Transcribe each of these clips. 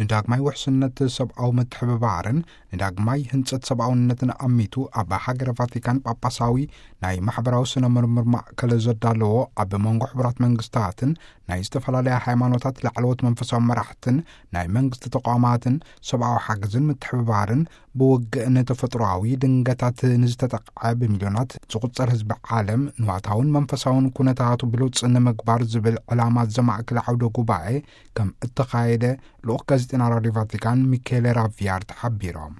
ንዳግማይ ውሕስነት ሰብኣዊ ምትሕብባርን ንዳግማይ ህንጸት ሰብኣውነትን ኣሚቱ፣ ኣብ ሃገረ ቫቲካን ጳጳሳዊ ናይ ማሕበራዊ ስነ ምርምር ማእከል ዘዳለዎ፣ ኣብ መንጎ ሕቡራት መንግስታትን ናይ ዝተፈላለያ ሃይማኖታት ላዕለዎት መንፈሳዊ መራሕትን ናይ መንግስቲ ተቋማትን ሰብኣዊ ሓገዝን ምትሕብባርን ብውግእን ተፈጥሮኣዊ ድንገታት ንዝተጠቕዐ ብሚልዮናት ዝቑጸር ህዝቢ ዓለም ንዋታውን መንፈሳውን ኩነታቱ ብሉጽ ንምግባር ዝብል ዕላማ ዘማእከለ ዓውደ ጉባኤ ከም እተኻየደ ልኡኽ ጋዜጠና ራድዮ ቫቲካን ሚኬለ ራቪያርት ሓቢሮም።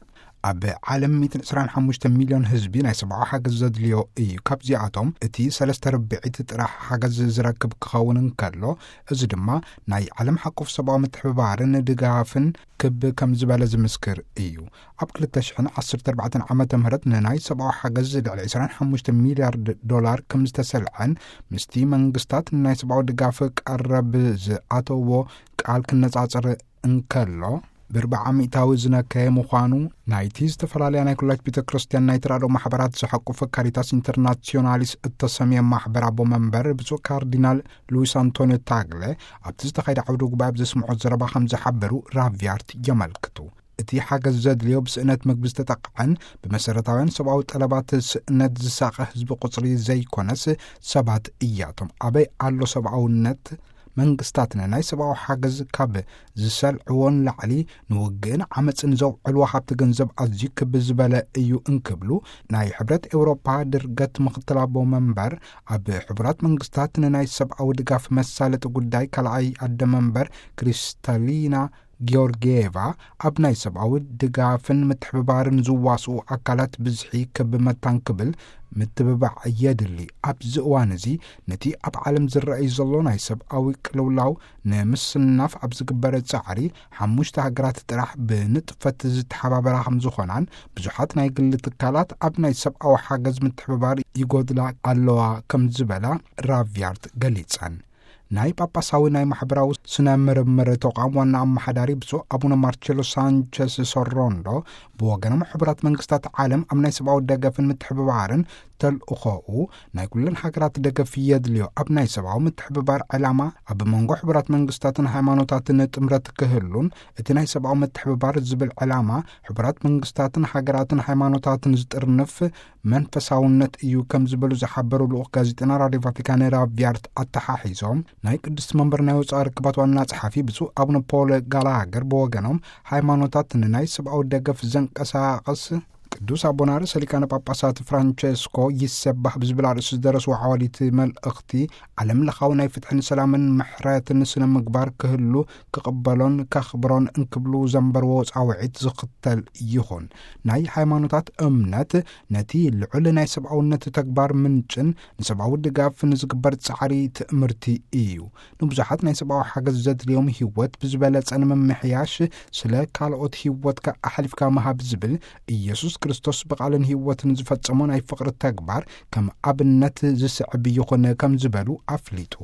ኣብ ዓለም ሚእትን ዕስራን ሓሙሽተ ሚልዮን ህዝቢ ናይ ሰብኣዊ ሓገዝ ዘድልዮ እዩ። ካብዚኣቶም እቲ ሰለስተ ርብዒት ጥራሕ ሓገዝ ዝረክብ ክኸውን እንከሎ፣ እዚ ድማ ናይ ዓለም ሓቆፍ ሰብኣዊ ምትሕብባርን ድጋፍን ክብ ከም ዝበለ ዝምስክር እዩ። ኣብ ክልተ ሽሕን ዓሰርተ ኣርባዕተን ዓመተ ምህረት ንናይ ሰብኣዊ ሓገዝ ልዕሊ ዕስራን ሓሙሽተ ሚልያርድ ዶላር ከም ዝተሰልዐን፣ ምስቲ መንግስታት ንናይ ሰብኣዊ ድጋፍ ቀረብ ዝኣተዎ ቃል ክነጻጸር እንከሎ፣ ብርብዓ ሚእታዊ ዝነከየ ምዃኑ ናይቲ ዝተፈላለያ ናይ ኩላይት ቤተ ክርስቲያን ናይ ተራድኦ ማሕበራት ዝሓቁፈ ካሪታስ ኢንተርናሲዮናሊስ እተሰምየ ማሕበር ኣቦ መንበር ብፁዕ ካርዲናል ሉዊስ ኣንቶኒዮ ታግለ ኣብቲ ዝተኻየደ ዓውደ ጉባኤ ኣብ ዘስምዖ ዘረባ ከም ዝሓበሩ ራቪያርት የመልክቱ። እቲ ሓገዝ ዘድልዮ ብስእነት ምግቢ ዝተጠቕዐን ብመሰረታውያን ሰብኣዊ ጠለባት ስእነት ዝሳቐ ህዝቢ ቁጽሪ ዘይኮነስ ሰባት እያቶም። ኣበይ ኣሎ ሰብኣውነት? መንግስታት ንናይ ሰብኣዊ ሓገዝ ካብ ዝሰልዕዎ ንላዕሊ ንውግእን ዓመፅን ዘውዕልዎ ሃብቲ ገንዘብ ኣዝዩ ክብ ዝበለ እዩ እንክብሉ፣ ናይ ሕብረት ኤውሮፓ ድርገት ምኽትል ኣቦ መንበር ኣብ ሕቡራት መንግስታት ንናይ ሰብኣዊ ድጋፍ መሳለጢ ጉዳይ ካልኣይ ኣደ መንበር ክሪስታሊና ጊዮርጊየቫ፣ ኣብ ናይ ሰብኣዊ ድጋፍን ምትሕብባርን ዝዋስኡ ኣካላት ብዝሒ ክብ መታን ክብል ምትብባዕ የድሊ። ኣብዚ እዋን እዚ ነቲ ኣብ ዓለም ዝረኣይ ዘሎ ናይ ሰብኣዊ ቅልውላው ንምስናፍ ኣብ ዝግበር ጻዕሪ፣ ሓሙሽተ ሃገራት ጥራሕ ብንጥፈት ዝተሓባበራ ከም ዝኾናን፣ ብዙሓት ናይ ግሊ ትካላት ኣብ ናይ ሰብኣዊ ሓገዝ ምትሕብባር ይጎድላ ኣለዋ ከም ዝበላ ራቪያርት ገሊጸን። ናይ ጳጳሳዊ ናይ ማሕበራዊ ስነ ምርምር ተቋም ዋና ኣመሓዳሪ ብፁዕ ኣቡነ ማርቸሎ ሳንቸስ ሶሮንዶ ብወገኖም፣ ሕቡራት መንግስታት ዓለም ኣብ ናይ ሰብኣዊ ደገፍን ምትሕብባርን ተልእኾኡ ናይ ኩለን ሃገራት ደገፍ የድልዮ። ኣብ ናይ ሰብኣዊ ምትሕብባር ዕላማ ኣብ መንጎ ሕቡራት መንግስታትን ሃይማኖታትን ጥምረት ክህሉን፣ እቲ ናይ ሰብኣዊ ምትሕብባር ዝብል ዕላማ ሕቡራት መንግስታትን ሃገራትን ሃይማኖታትን ዝጥርንፍ መንፈሳውነት እዩ ከም ዝበሉ ዝሓበሩ ልኡኽ ጋዜጠና ራድዮ ቫቲካን ራቪያርት ኣተሓሒዞም፣ ናይ ቅድስቲ መንበር ናይ ወጻኢ ርክባት ዋና ጸሓፊ ብፁዕ ኣቡነ ፖል ጋላሃገር ብወገኖም፣ ሃይማኖታት ንናይ ሰብኣዊ ደገፍ ዘንቀሳቕስ ቅዱስ ኣቦና ርእሰ ሊቃነ ጳጳሳት ፍራንቸስኮ ይሰባህ ብዝብል ኣርእስቲ ዝደረስዎ ዓዋዲት መልእኽቲ፣ ዓለም ለኻዊ ናይ ፍትሕን ሰላምን ምሕረትን ስነ ምግባር ክህሉ ክቕበሎን ከኽብሮን እንክብሉ ዘንበርዎ ጻውዒት ዝኽተል ይኹን። ናይ ሃይማኖታት እምነት ነቲ ልዑል ናይ ሰብኣውነት ተግባር ምንጭን ንሰብኣዊ ድጋፍ ንዝግበር ጻዕሪ ትእምርቲ እዩ። ንብዙሓት ናይ ሰብኣዊ ሓገዝ ዘድልዮም ህይወት ብዝበለጸ ንምምሕያሽ ስለ ካልኦት ህይወትካ ኣሕሊፍካ ምሃብ ዝብል ኢየሱስ ክርስቶስ ብቓልን ህይወትን ዝፈጸሞ ናይ ፍቕሪ ተግባር ከም ኣብነት ዝስዕብ ይኹን ከም ዝበሉ ኣፍሊጡ።